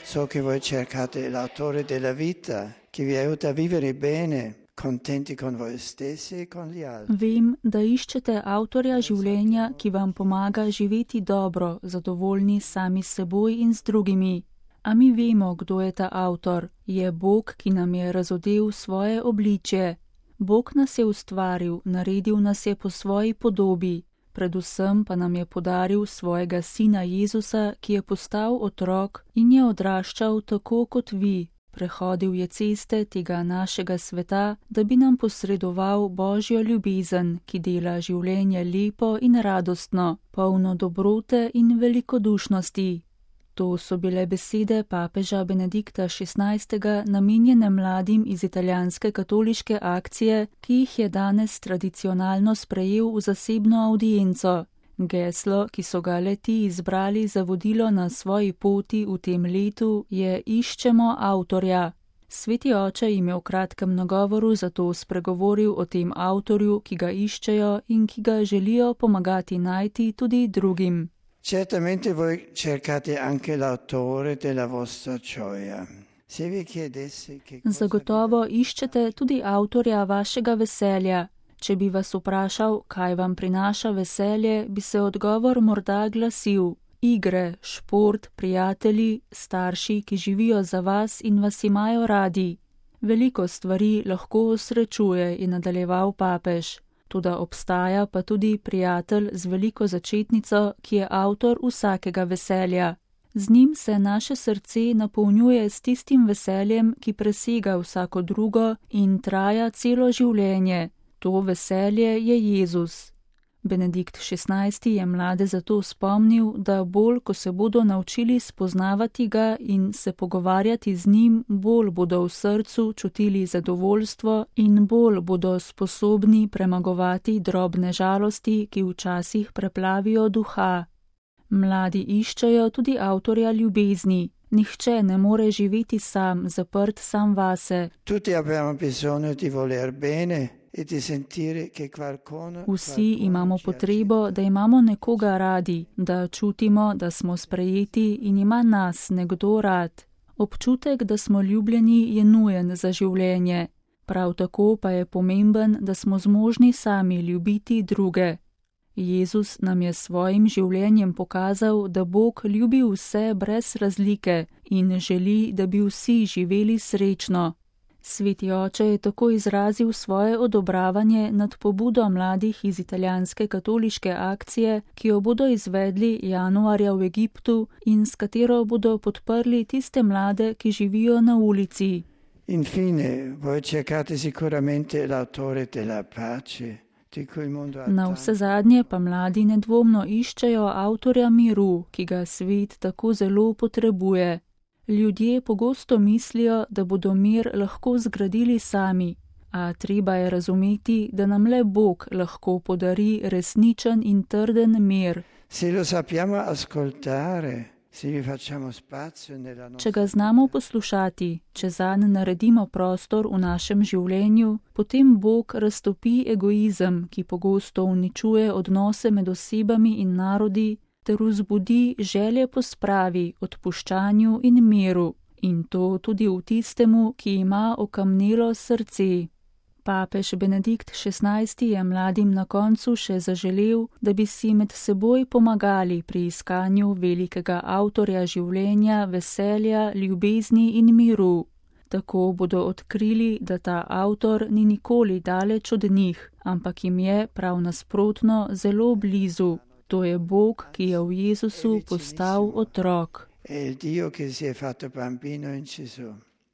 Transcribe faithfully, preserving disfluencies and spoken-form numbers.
So che voi cercate l'autore della vita, che vi aiuta a vivere bene, contenti con voi stessi e con gli altri. Vem, da iščete avtorja življenja, ki vam pomaga živeti dobro, zadovoljni sami s seboj in z drugimi. A mi vemo, kdo je ta avtor. Je Bog, ki nam je razodel svoje obličje. Bog nas je ustvaril, naredil nas je po svoji podobi. Predvsem pa nam je podaril svojega sina Jezusa, ki je postal otrok in je odraščal tako kot vi. Prehodil je ceste tega našega sveta, da bi nam posredoval Božjo ljubezen, ki dela življenje lepo in radostno, polno dobrote in velikodušnosti. To so bile besede papeža Benedikta šestnajstega namenjene mladim iz italijanske katoliške akcije, ki jih je danes tradicionalno sprejel v zasebno audienco. Geslo, ki so ga le-ti izbrali za vodilo na svoji poti v tem letu, je Iščemo avtorja. Sveti oče jim je v kratkem nagovoru zato spregovoril o tem avtorju, ki ga iščejo in ki ga želijo pomagati najti tudi drugim. Certamente voi cercate anche l'autore della vostra gioia. Se vi chiedessi che cosa Zagotovo iščete tudi avtorja vašega veselja. Če bi vas vprašal, kaj vam prinaša veselje, bi se odgovor morda glasil: igre, šport, prijatelji, starši, ki živijo za vas in vas imajo radi. Veliko stvari lahko osrečuje, je nadaljeval papež. Toda obstaja pa tudi prijatelj z veliko začetnico, ki je avtor vsakega veselja. Z njim se naše srce napolnjuje s tistim veseljem, ki presega vsako drugo in traja celo življenje. To veselje je Jezus. Benedikt šestnajsti je mlade zato spomnil, da bolj, ko se bodo naučili spoznavati ga in se pogovarjati z njim, bolj bodo v srcu čutili zadovoljstvo in bolj bodo sposobni premagovati drobne žalosti, ki včasih preplavijo duha. Mladi iščejo tudi avtorja ljubezni. Nihče ne more živeti sam, zaprt sam vase. Tutti abbiamo bisogno di voler bene. Vsi imamo potrebo, da imamo nekoga radi, da čutimo, da smo sprejeti in ima nas nekdo rad. Občutek, da smo ljubljeni, je nujen za življenje. Prav tako pa je pomemben, da smo zmožni sami ljubiti druge. Jezus nam je svojim življenjem pokazal, da Bog ljubi vse brez razlike in želi, da bi vsi živeli srečno. Sveti oče je tako izrazil svoje odobravanje nad pobudo mladih iz italijanske katoliške akcije, ki jo bodo izvedli januarja v Egiptu in s katero bodo podprli tiste mlade, ki živijo na ulici. Infine, voi cercate sicuramente l'autore della pace. Na vse zadnje pa mladi nedvomno iščejo avtorja miru, ki ga svet tako zelo potrebuje. Ljudje pogosto mislijo, da bodo mir lahko zgradili sami, a treba je razumeti, da nam le Bog lahko podari resničen in trden mir. Se lo sappiamo ascoltare, se vi facciamo spazio nella nostra... Če ga znamo poslušati, če zanj naredimo prostor v našem življenju, potem Bog raztopi egoizem, ki pogosto uničuje odnose med osebami in narodi, ter vzbudi želje po spravi, odpuščanju in miru, in to tudi v tistemu, ki ima okamnelo srce. Papež Benedikt šestnajsti je mladim na koncu še zaželel, da bi si med seboj pomagali pri iskanju velikega avtorja življenja, veselja, ljubezni in miru. Tako bodo odkrili, da ta avtor ni nikoli daleč od njih, ampak jim je prav nasprotno zelo blizu. To je Bog, ki je v Jezusu postal otrok. È il Dio che si è fatto bambino in Gesù.